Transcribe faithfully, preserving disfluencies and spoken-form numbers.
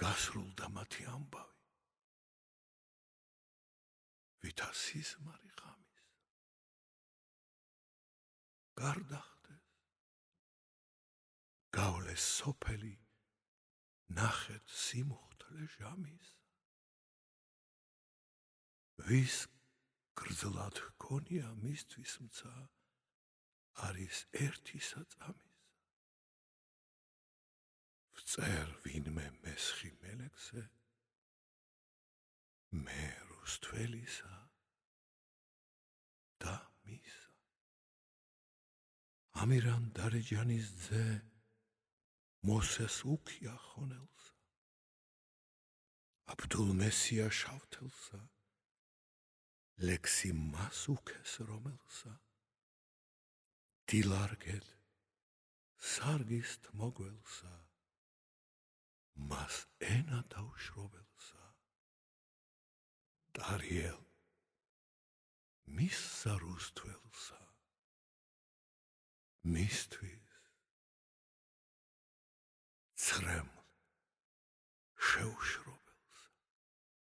გასრულდა მათი ამბავი, ვითა სიზმარი ღამის გარდახდეს, გავლეს სოფელი ნახეთ სიმუხთლე ჟამის, ვის გრძლად ჰქონია მისთვის მცა არის ერთი საწამის, ვწერ ვინმე მესხი მელექსე, მე რუსთველისა და მისა. ამირან დარეჯანის ძე მოსეს უქია ხონელსა, აბდულ მესია შავთელსა, ლექსი მას უქეს რომელსა, დილარგეთ სარგისთ მოგველსა, მას ენა დაუშრობელსა, ტარიელ მისსა რუსთველსა, მისთვის ცრემლ შეუშრობ